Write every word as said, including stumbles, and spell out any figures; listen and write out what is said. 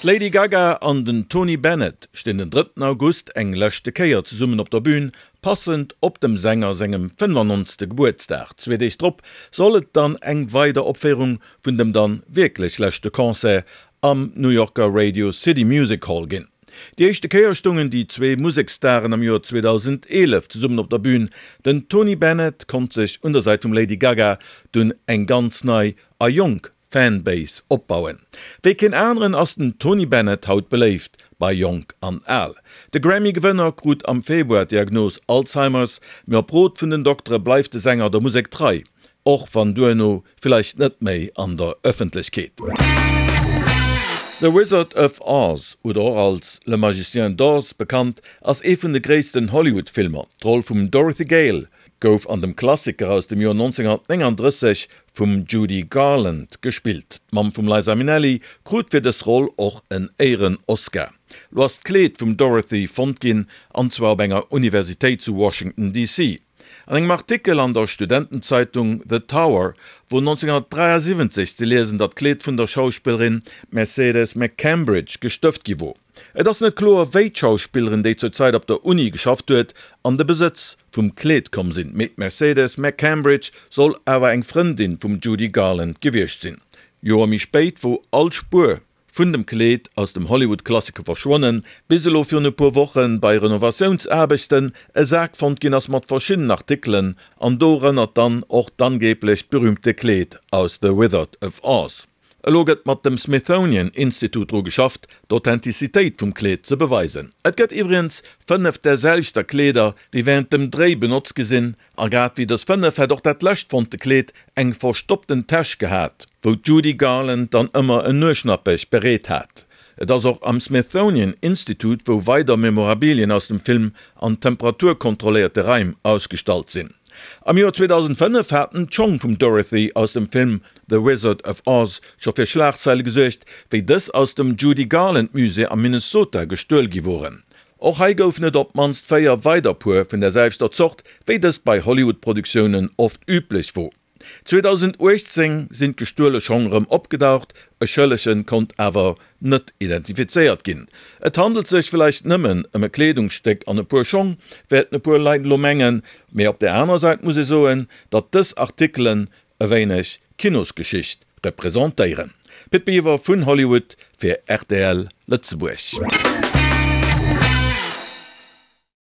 D'Lady Gaga an den Tony Bennett stinn den drëtten August eng leschte Kéier zesummen op der Bün, passend op dem Sänger sengem fënnefannonzegste Gebuertsdag. Zwee Deeg drop soll et dann eng weider Opféierung vun dem dann wierklech leschte Concert am New Yorker Radio City Music Hall ginn. Déi éischte Kéier stoungen déi zwee Museksstaren am Joer zweedausendeenef zesummen op der Bün. Den Tony Bennett konnt sech un der Säit vum Lady Gaga dunn eng ganz nei a jonk Fanbase opbauen. Wéi keen aneren ass den Tony Bennett haut beléift bei Jonk an Al. De Grammy-Gewënner krut am Februar d'Diagnos Alzheimer's, mee op Rot vun den Doktere bleift de Sänger der Musek trei, och wann duerno villäicht net méi an der Ëffentlechkeet. The Wizard of Oz oder och als Le Magicien d'Oz bekannt, ass ee vun de gréissten Hollywood-Filmer. D'Roll vum Dorothy Gale gouf an dem Klassiker aus dem Joer nonzénghunnertnénganddrësseg vum Judy Garland gespillt. D'Mamm vum Liza Minnelli krut fir dës Roll och en Éieren-Oscar. Lo ass d'Kleed vum Dorothy fonnt ginn, an zwar op enger Universitéit zu Washington, D C An engem Artikel an der Studentenzeitung The Tower wor nonzénghunnertdräiasiwwenzeg ze liesen, datt d'Kleed vun der Schauspillerin Mercedes McCambridge gestëft gi wor. Et ass net kloer, wéi d'Schauspillerin, déi zur Zäit op der Uni geschafft huet, an de Besëtz vum Kleed komm sinn, mee d'Mercedes McCambridge soll awer eng Frëndin vum Judy Garland gewiescht sinn. Joer méi spéit wor all Spuer vun dem Kleed aus dem Hollywood-Klassiker verschwonnen, bis elo virun e puer Woche bei Renovatiounsaarbechten e Sak fonnt ginn ass mat verschiddenen Artikelen an dorënner dann och d'angeeblecht berüümte Kleed aus The Wizard of Oz. Elo gëtt mat dem Smithsonian Institute dru geschafft, d'Authentizitéit vum Kleed ze beweisen. Et gëtt iwwregens fënnef där selwechter Kleeder, déi wärend dem Dréi benotzt gi sinn, a grad wéi dës fënnef hätt och dat lescht fonnte Kleed eng verstoppten Täsch gehat, wou d'Judy Garland dann ëmmer en Nueschnappech bereet hat. Et ass och am Smithsonian Institute, wou weider Memorabilien aus dem Film an temperaturkontrolléierte Raim ausgestallt sinn. Am Joer zweedausendfënnef haten d'Schong vum Dorothy aus dem Film The Wizard of Oz scho fir Schlagzeile gesuergt, wéi dës aus dem Judy Garland Musée am Minnesota gestuel gi woren. Och hei goufen et op d'mannst véier weider Puer vun der selwechter Zort, wéi dëst bei Hollywood-Produktiounen oft üblech wor. zweedausenduechtzéng sinn d'gestuele Schong rëm opgedaucht, e Schëllege konnt awer net identifizéiert ginn. Et handelt sech villäicht nëmmen ëm e Kleedungsstéck an e puer Schong, wäerten e puer Leit elo mengen, mee op der anerer Säit muss ee soen, datt dës Artikelen e wéineg Kinosgeschicht representéieren. Pit Biwer vun Hollywood fir R T L Lëtzebuerg.